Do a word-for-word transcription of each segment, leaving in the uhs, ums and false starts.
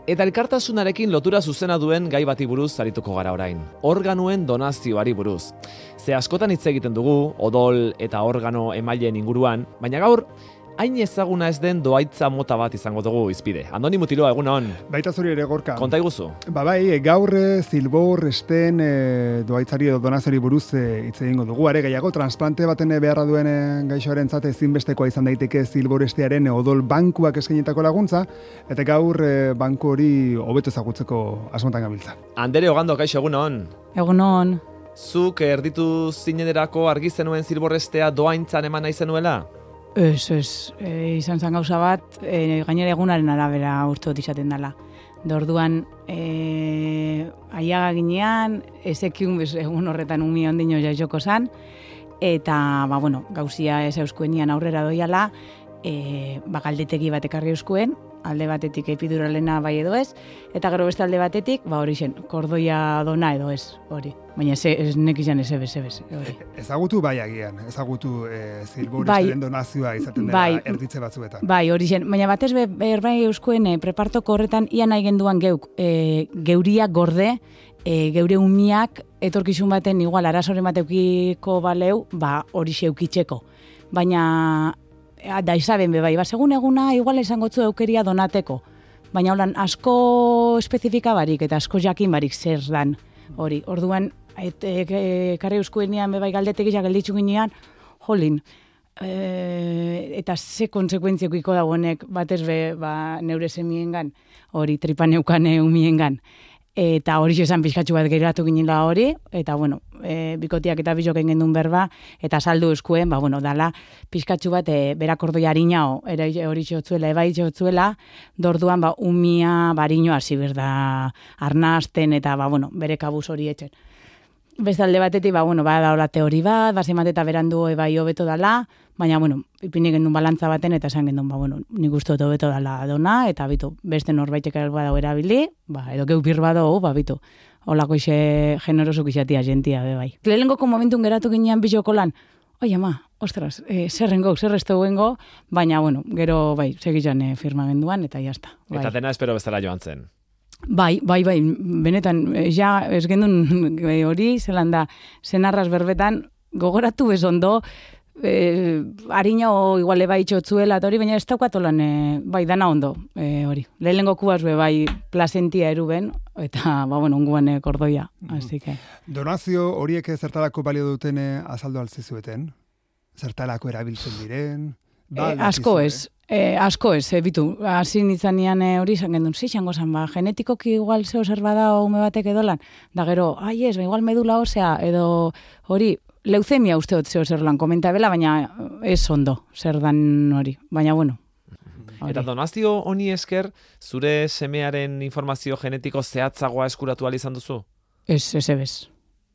Eta elkartasunarekin lotura zuzena duen gai bati buruz arituko gara orain. Organoen donazioari buruz. Ze askotan hitz egiten dugu, odol eta organo emaileen inguruan, baina gaur, hain ezaguna ez den doaitza mota bat izango dugu izpide. Andoni Mutiloa, egunon. Baita zuri ere, Gorka. Konta iguzu. Ba bai, gaur zilbor esten e, doaitzari edo donaziori buruz hitz e, egingo dugu. Are gehiago, transplante baten beharra duen gaixoaren zate ezinbestekoa izan daiteke zilbor estearen odol bankuak eskainitako laguntza, eta gaur e, banku hori hobeto ezagutzeko asmontan gabiltza. Andere Ogando, kaixo, egunon. Egunon. Zuk erditu zinenerako argi zenuen zilbor estea doaintzan eman nahi zenuela? Ez, ez, e, izan zen gauza bat, e, gainera egunaren arabera urte dut izaten dela. Orduan, e, aiaga ginean, ezekiun egun horretan umi ondino jaizoko zan, eta, ba, bueno, gauzia ez euskuenian aurrera doiala, e, ba, galdetegi bat ekarri euskuen, alde batetik epiduralena bai edo ez, eta gero beste alde batetik, ba, hori zen, kordoia dona edo ez, hori. Baina ez, ez nek izan ez ebez, ebez, hori. Ezagutu bai agian, ezagutu e, zilbor bai, esteren donazioa izaten dela bai, erditze batzuetan. Bai, hori zen, baina batez be, berbai euskuen e, prepartoko horretan ia nahi genduan geuk, e, geuria gorde, e, geure umiak etorkizun baten igual arazoren bateukiko baleu, ba hori xeukitzeko. Baina da izaben be bai, ba, segun eguna igual izango zu eukeria donateko. Baina holan asko espezifika barik eta asko jakin barik zer dan hori. Orduan, karri euskuenian be bai galdetegiak gelditzu ginean, jolin, e, eta ze konsekuentziokiko dagoenek batez be ba, neure semiengan, hori tripaneukane umiengan. Eta hori esan pixkatxu bat geratu ginela hori, eta bueno, e, bikotiak eta bizoken gendun berba, eta saldu eskuen, ba bueno, dala pixkatxu bat e, berakordoi harinao, ere hori txotzuela, ebai txotzuela, dorduan ba umia bariño hasi berda arnazten, eta ba bueno, bere kabuz hori etxen. Beste alde batetik, ba bueno, ba da hola teori bat, basemat eta berandu ebai hobeto dala, baina bueno, ipini gendun balantza baten, eta esan gendun, ba bueno, nik uste dut hobeto dala dona, eta bitu, beste norbaitek badau erabili, ba, edo geupir badau, ba bitu, holako ixe generosuk isatia jentia, be bai. Lehenengoko momentun geratu ginean bizoko lan, oi ama, ostras, e, zerrengo, zerreztu gengo, baina bueno, gero bai, segitzen e, firma genduan, eta jazta. Bai. Eta dena espero bezala joan zen. Bai, bai, bai, benetan, ja, ez gendun hori, zelan da, zenarraz berbetan, gogoratu bezondo, e, harina o igual eba itxotzuela, eta hori, baina ez daukatolan, e, bai, dana ondo, e, hori. Lehenengo kubaz be, bai, plazentia eruben, eta, ba, bueno, onguan e, kordoia, mm-hmm. Así que. Donazio horiek zertarako balio duten e, azaldu altzizueten? Zertarako erabiltzen diren? Ba, e, asko ez. E, asko ez, e, bitu, hasi nitzanean e, hori izan gendun, zixango zan, ba, genetikoki igual zeo zer bada ume batek edolan, da gero, ai ez, ba, igual medula osea, edo hori, leuzemia uste dut zeo zer lan komenta bela, baina ez ondo, zer dan hori, baina bueno. Hori. Eta donazio honi esker, zure semearen informazio genetiko zehatzagoa eskuratu ahal izan duzu? Ez, ez ebez,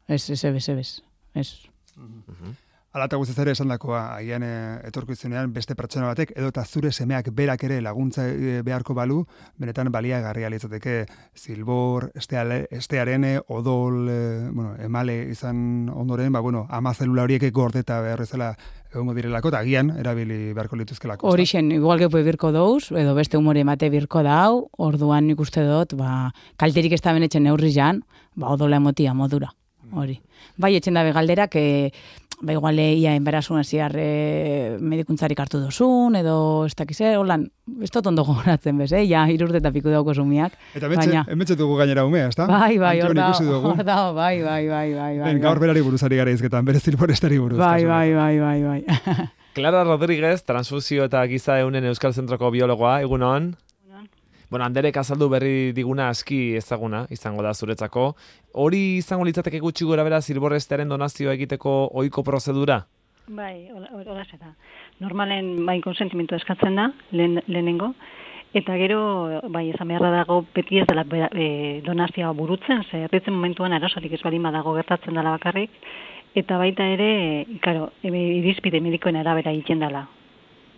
ez, ez ebez, ebez, ez. Uh-huh. Ala eta guztiz ere esan dakoa, agian e, etorkizunean beste pertsona batek, edo eta zure semeak berak ere laguntza e, beharko balu, benetan baliagarria litzateke zilbor, esteale, estearen, odol, e, bueno, emale izan ondoren, ba, bueno, ama zelula horiek gordeta behar ezela egongo direlako, eta agian erabili beharko lituzkelako. Horixen, igual gepo birko dauz, edo beste humore emate birko dau, orduan nik uste dut, ba, kalterik ez da benetzen neurri jan, ba, odola emotia modura, hori. Bai, etxen dabe galderak, e, ba, igual, ia enberasun ziar e, medikuntzarik hartu dozun, edo ez dakize, holan, ez dut ondo gogoratzen bez, eh? Ja, irurte eta piku dauko sumiak. Eta emetxe dugu gainera umea, ez da? Bai, bai, hor da, hor da, bai, bai, bai, bai. Ben, gaur berari buruzari gara izketan, bere zilborestari buruz. Bai, bai, bai, bai, bai. Clara Rodríguez, transfusio eta giza eunen Euskal Zentroko biologoa, egunon? Bueno, Anderek azaldu berri diguna aski ezaguna izango da zuretzako. Hori izango litzateke gutxi gora bera zilborrestearen donazioa egiteko ohiko prozedura? Bai, hola da. Normalen bai konsentimentu eskatzen da, lehen, lehenengo, eta gero, bai, ezan beharra dago beti ez dela e, donazioa burutzen, ze erditzen momentuan arazorik ez balima dago gertatzen dela bakarrik, eta baita ere, claro, irizpide medikoen arabera egiten dela.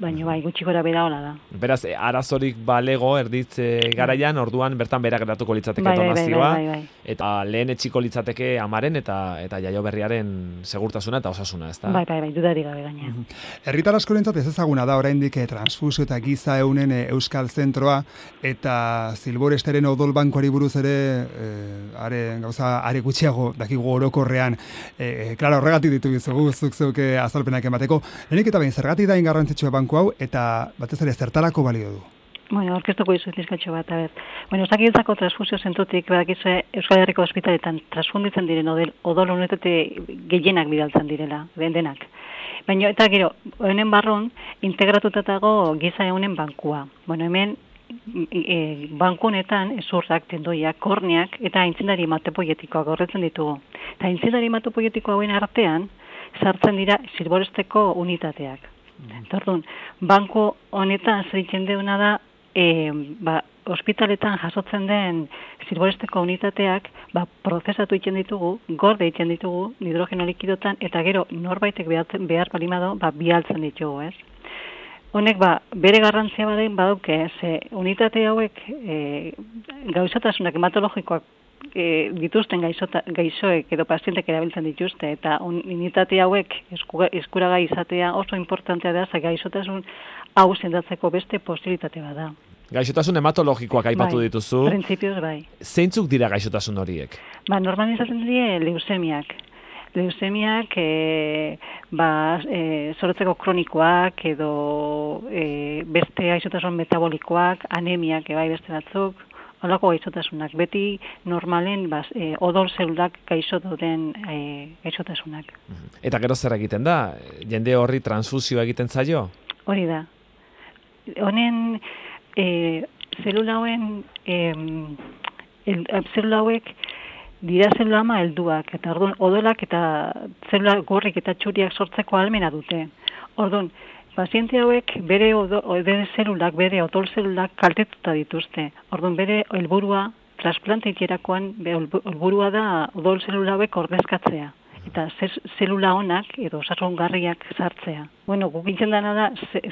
baina bai, gutxi gora bera hola da. Beraz, arazorik balego erditze garaian, orduan bertan bera geratuko litzateke bai, bai, donazioa, bai, bai, bai. eta lehen etxiko litzateke amaren eta eta jaioberriaren segurtasuna eta osasuna, ezta? Bai, bai, bai, dudari gabe gaina. Herritar askorentzat ez ezaguna da oraindik eh, transfusio eta giza eunen eh, Euskal Zentroa eta Zilboresteren odol bankuari buruz ere eh, are gauza are gutxiago dakigu orokorrean. Eh, claro, horregatik ditu bizugu zuk zeuke azalpenak emateko. Lehenik eta behin zergatik da garrantzitsua banku hau eta batez ere zertarako balio du? Bueno, orkestuko izu izkatxo bat, a ber. Bueno, osakidetzako transfusio zentrotik, badakizue Euskal Herriko ospitaletan transfunditzen diren odol, odol unitate gehienak bidaltzen direla, denak. Baina, eta gero, honen barron, integratutatago giza eunen bankua. Bueno, hemen, e, banku honetan, ezurrak, tendoiak, korneak, eta aintzindari hematopoietikoak horretzen ditugu. Eta aintzindari hematopoietiko hauen artean, sartzen dira Zilboresteko unitateak. Eta orduan, banku honetan zeritzen deuna da, e, ba, ospitaletan jasotzen den Zilboresteko unitateak, ba, prozesatu egiten ditugu, gorde egiten ditugu, hidrogeno likidotan, eta gero norbaitek behar, behar balimado, ba, bialtzen ditugu, ez? Honek, ba, bere garrantzia baden badauke, ze unitate hauek e, gauzatasunak hematologikoak e, dituzten gaixota, gaixoek edo pazientek erabiltzen dituzte, eta unitate hauek esku, eskuragai izatea oso importantea da, ze gaixotasun hau sendatzeko beste posibilitate bada. Gaixotasun hematologikoak aipatu bai, dituzu. Printzipioz bai. Zeintzuk dira gaixotasun horiek? Ba, normalan izaten dira leusemiak. Leusemiak, e, ba, e, zorotzeko kronikoak edo e, beste gaixotasun metabolikoak, anemiak, e, bai beste batzuk, holako gaixotasunak. Beti normalen ba, e, odol zelulak gaixo dauden e, gaixotasunak. Eta gero zer egiten da? Jende horri transfusioa egiten zaio? Hori da. Honen, e, zelula hauen, e, el, zelula hauek dira zelula ama helduak, eta orduan odolak eta zelula gorrik eta txuriak sortzeko ahalmena dute. Orduan, paziente hauek bere odol, bere zelulak, bere odol zelulak kaltetuta dituzte. Orduan, bere helburua transplante itxerakoan helburua da odol zelula hauek ordezkatzea. Eta zelula onak edo osasungarriak sartzea. Bueno, guk intzen dana da,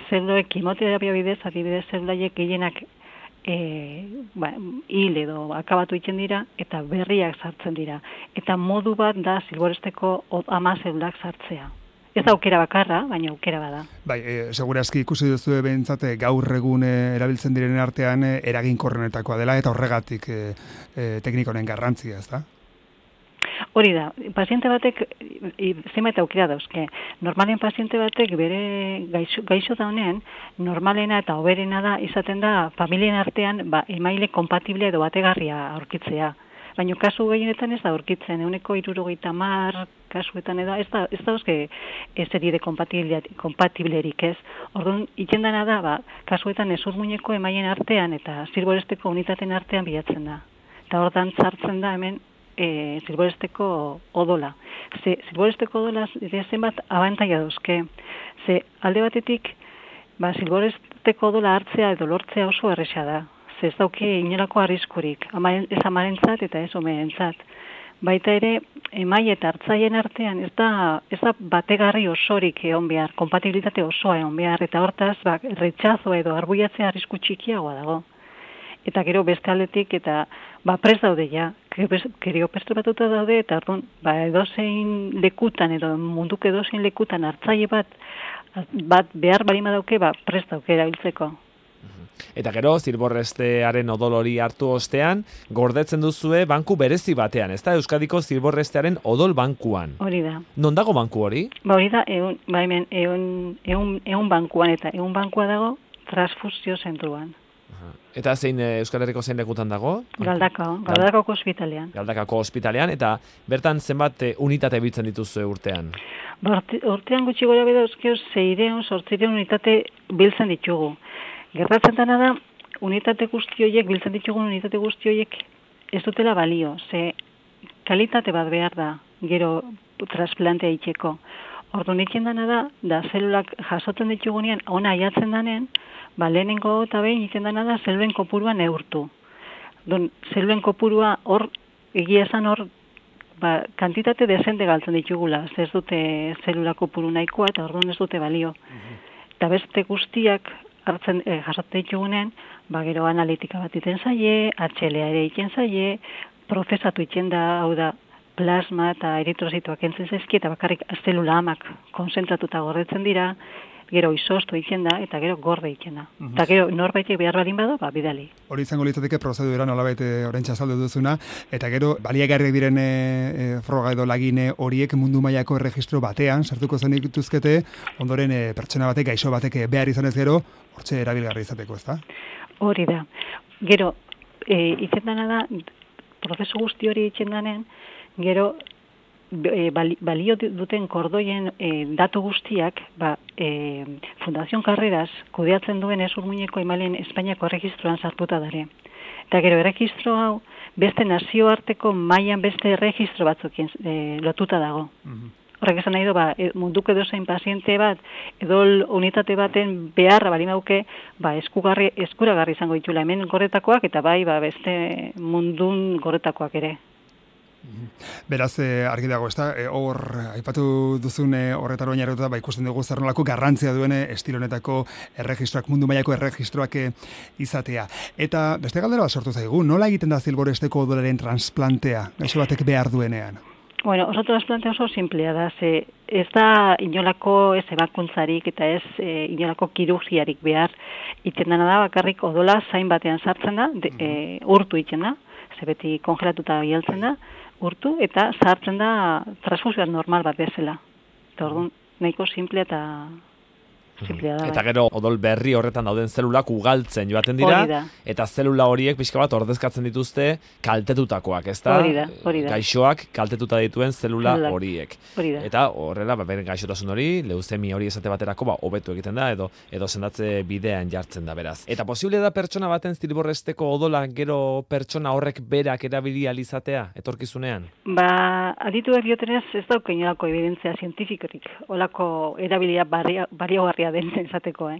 zeluloek kimoterapia bidez, adibidez zelulaiek gehienak e, ba, hil edo akabatu itzen dira, eta berriak sartzen dira. Eta modu bat da Zilboresteko ama zelulak sartzea. Ez da aukera bakarra, baina aukera bada. Bai, e, segurazki ikusi duzu behintzat gaur egun e, erabiltzen direnen artean e, eraginkorrenetakoa dela, eta horregatik e, e, teknikonen garrantzia, ez da? Hori da, paziente batek zenbait aukera dauzke. Normalen paziente batek bere gaixo, gaixo da honen, normalena eta hoberena da izaten da familien artean ba, emaile kompatible edo bategarria aurkitzea. Baina kasu gehienetan ez da aurkitzen, euneko hirurogeita hamar kasuetan edo ez da, ez da euske zeri de kompatiblerik ez. Orduan, itzen dena da, ba, kasuetan ezur muñeko emaien artean eta Zilboresteko unitaten artean bilatzen da. Eta ordan sartzen da hemen E, Zilboresteko odola. Ze, Zilboresteko odola zenbat abantaia dauzke. Ze, alde batetik, ba, Zilboresteko odola hartzea edo lortzea oso erresa da. Ze, ez dauke inolako arriskurik. Amaren, ez amarentzat eta ez omerentzat. Baita ere, emai eta hartzaien artean ez da, ez da bategarri osorik egon behar, kompatibilitate osoa egon behar, eta hortaz, ba, retxazo edo arbuiatzea arrisku txikiagoa dago. Eta gero beste aldetik, eta ba, prest daude ja, gero perturbatuta daude, eta orduan, ba, edozein lekutan, edo munduko edozein lekutan hartzaile bat, bat behar balima dauke, ba, prest dauke erabiltzeko. Eta gero, Zilborrestearen odol hori hartu ostean, gordetzen duzue banku berezi batean, ez da Euskadiko Zilborrestearen odol bankuan. Hori da. Non dago banku hori? Ba, hori da, egun, ba, hemen, egun, egun, egun bankuan, eta egun bankua dago transfusio zentruan. Eta zein Euskal Herriko zein lekutan dago? Galdakao, Galdakako ospitalean. Galdakako ospitalean, eta bertan zenbat unitate biltzen dituzue urtean? Ba, urtean gutxi gora beda euskio zeireun, sortzireun unitate biltzen ditugu. Gertatzen dena da, unitate guzti horiek, biltzen ditugun unitate guzti horiek ez dutela balio, ze kalitate bat behar da, gero transplantea itxeko. Orduan itzen dena da, da zelulak jasotzen ditugunean, ona aiatzen danen, ba, lehenengo eta behin iten dena da zeluen kopurua neurtu. Don, zeluen kopurua hor, egia esan hor, ba, kantitate desente galtzen ditugula, ez dute zelula kopuru nahikoa eta orduan ez dute balio. eta beste guztiak hartzen e, jasotzen ditugunen, ba gero analitika bat iten zaie, H L A ere iten zaie, prozesatu iten da, hau da, plasma eta eritrozitoak entzen zaizki, eta bakarrik zelula amak konzentratuta gordetzen dira, gero izostu egiten da, eta gero gorde egiten da. Uh -huh. Eta gero norbaitek behar balin badu, ba, bidali. Hori izango litzateke prozedura nolabait oraintxe azaldu duzuna, eta gero baliagarriak diren e, e, froga edo lagine horiek mundu mailako erregistro batean sartuko zen dituzkete, ondoren e, pertsona batek, gaixo batek behar izanez gero, hortxe erabilgarri izateko, ezta? Hori da. Gero, e, itzendana da, prozesu guzti hori itzendanen, gero, E, balio duten kordoien e, datu guztiak, ba, e, Fundación Carreras kudeatzen duen ez urmuineko emailen Espainiako erregistroan sartuta dare. Eta gero erregistro hau beste nazioarteko mailan beste erregistro batzukien e, lotuta dago. Mm-hmm. Horrek esan nahi du, ba, munduko edozein paziente bat, edo unitate baten beharra bali mauke, ba, eskugarri, eskuragarri izango ditula hemen gorretakoak, eta bai, ba, beste mundun gorretakoak ere. Beraz, eh, argi dago, ezta? Eh, hor, aipatu duzun eh, horretara oinarrituta, ba, ikusten dugu zer nolako garrantzia duen estilo honetako erregistroak, mundu mailako erregistroak eh, izatea. Eta beste galdera bat sortu zaigu, nola egiten da Zilboresteko odolaren transplantea, gaixo batek behar duenean? Bueno, oso transplantea oso simplea da, ze ez da inolako ez ebakuntzarik eta ez e, inolako kirurgiarik behar, iten dena da, bakarrik odola zain batean sartzen da, de, e, urtu iten da, ze beti kongelatuta bialtzen da, urtu, eta sartzen da transfusioa normal bat bezala. Eta orduan, nahiko simple eta simplea da. Eta gero, odol berri horretan dauden zelulak ugaltzen joaten dira, eta zelula horiek pixka bat ordezkatzen dituzte kaltetutakoak, ezta? Hori da, hori da. Gaixoak kaltetuta dituen zelula Zelulak. horiek. Hori da. Eta horrela, ba, beren gaixotasun hori, leuzemia hori esate baterako, ba, hobetu egiten da, edo edo sendatze bidean jartzen da, beraz. Eta posible da pertsona baten Zilborresteko odola gero pertsona horrek berak erabili ahal izatea, etorkizunean? Ba, adituek diotenez ez dauka inolako evidentzia zientifikorik, olako erabilia baliagarria den izateko, eh?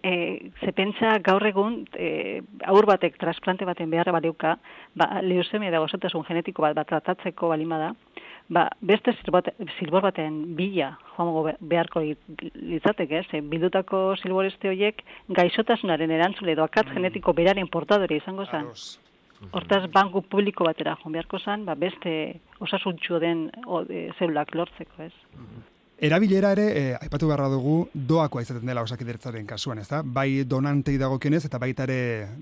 E, ze pentsa gaur egun e, aur batek transplante baten beharra baliuka, ba, leusemia da gaixotasun genetiko bat bat tratatzeko balima da, ba, beste zilbor baten bila joango beharko litzateke, eh? Ze bildutako zilboreste horiek gaixotasunaren erantzule edo akatz mm. genetiko beraren portadore izango zen. Hortaz, banku publiko batera joan beharko zen, ba, beste osasuntxu den o, e, zelulak lortzeko, ez? Mm. Erabilera ere, eh, aipatu beharra dugu, doakoa izaten dela Osakidetzaren kasuan, ezta? Bai donantei dagokionez eta baita ere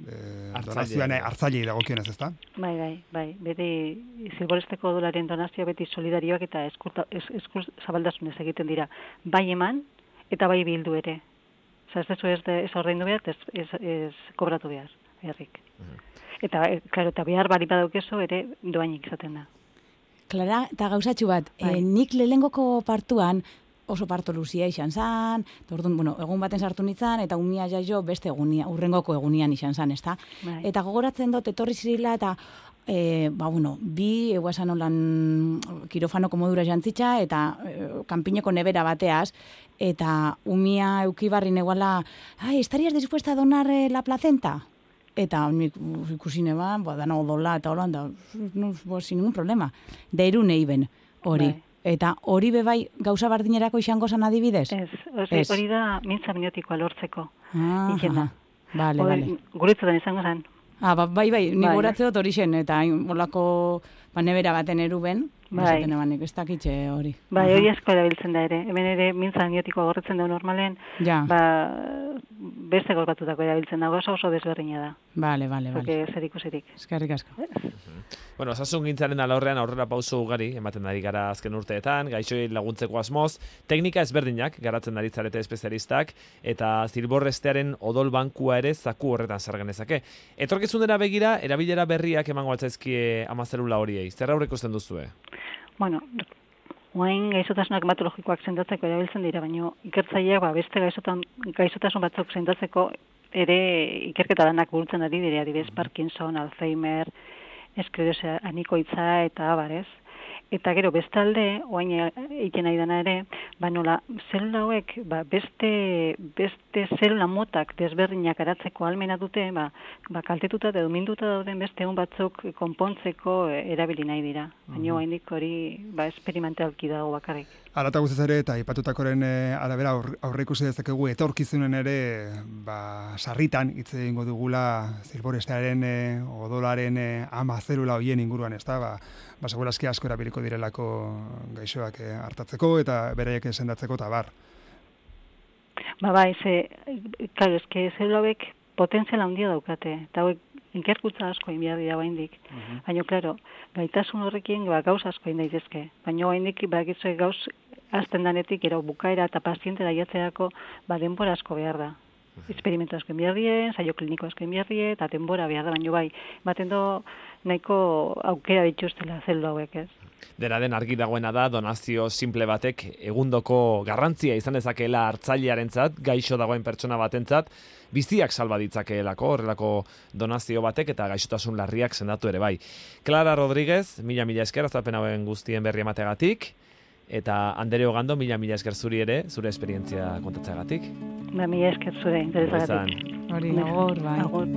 eh, donazioan hartzailei dagokionez, ezta? Bai, bai, bai. Beti Zilborresteko odolaren donazioa beti solidarioak eta eskur eskur zabaldasunez egiten dira. Bai eman eta bai bildu ere. Osa, ez dezu ez, de, ez ordaindu behar, ez, ez, ez kobratu behar, beharrik. Uh-huh. Eta, claro, eta behar bari badaukezo ere doainik izaten da. Klara, eta gauzatxu bat, e, nik lehengoko partuan oso parto luzia izan zan, orduan, bueno, egun baten sartu nintzen, eta umia jaio beste egunia, urrengoko egunian izan zan, ezta? Bai. Eta gogoratzen dut, etorri zirila, eta, e, ba, bueno, bi, egua esan olan kirofanoko modura jantzitza, eta e, kanpineko nebera bateaz, eta umia eukibarri neguala, ai, ¿estarías dispuesta a donar eh, la placenta? Eta nik ikusi neba, ba, dana odola eta holan, da, no, bo, sin ningún problema. Deiru neiben, hori. Bai. Eta hori bebai gauza bardinerako izango zan adibidez? Ez, ez. Hori da mintza minotikoa lortzeko. Ah, aha. Bale, bale. Guretzutan izango zen. Ah, ba, bai, bai, ni goratze dut hori zen, eta olako ba, nebera baten eruben, bai. Ebanik, ez dakitxe hori. Bai, hori asko erabiltzen da ere. Hemen ere mintza minotikoa gorretzen da normalen, ja. Ba, beste gorbatutako erabiltzen da, oso oso desberdina da. Bale, bale, bale. Porque zer ikusirik. Eskerrik asko. Bueno, osasun gintzaren alorrean aurrera pauso ugari, ematen ari gara azken urteetan, gaixoei laguntzeko asmoz, teknika ezberdinak garatzen ari zarete espezialistak, eta Zilborrestearen odol bankua ere zaku horretan sargenezake. Etorkizunera begira, erabilera berriak emango altzaizkie amazelula horiei. Zer aurreko ikusten duzue? Bueno, oain gaixotasunak hematologikoak sendatzeko erabiltzen dira, baina ikertzaileak ba, beste gaixotan, gaixotasun batzuk sendatzeko ere ikerketa lanak burutzen ari dira, adibidez Parkinson, Alzheimer, esklerosia anikoitza eta abarez. Eta gero bestalde, oain egiten nahi dena ere, ba nola, zelula hauek, ba, beste, beste zelula motak desberdinak aratzeko almena dute, ba, ba kaltetuta edo minduta dauden beste egun batzuk konpontzeko erabili nahi dira. Baina oraindik hori ba esperimentalki dago bakarrik. Hala eta guztiz ere, eta aipatutakoren arabera aurreikusi dezakegu etorkizunen ere, ba, sarritan hitz egingo dugula zilborestearen e, odolaren e, ama zelula hoien inguruan, ez da, ba, ba segurazki asko erabiliko direlako gaixoak e, hartatzeko eta beraiek sendatzeko eta bar. Ba bai, ze, claro, eske zelula hauek potentziala handia daukate, eta hauek inkerkutza asko egin behar dira oraindik. Uh-huh. Baina, claro, gaitasun horrekin ba, gauz asko egin daitezke. Baina oraindik bakitzu gauz azten danetik, ero bukaera eta pazientera jatzerako ba, denbora asko behar da. Experimentu asko egin behar die, saio kliniko asko egin behar die, eta denbora behar da, baina bai, baten do nahiko aukera dituztela zelula hauek, ez? Dena den argi dagoena da, donazio simple batek egundoko garrantzia izan dezakeela hartzailearentzat, gaixo dagoen pertsona batentzat, biziak salba ditzakeelako, horrelako donazio batek eta gaixotasun larriak sendatu ere bai. Clara Rodríguez, mila mila esker, azalpen hauen guztien berri emategatik, eta Andere Ogando, mila mila esker zuri ere, zure esperientzia kontatzeagatik. Ba, mila esker zure, interesagatik. Hori, agor, bai. Agor.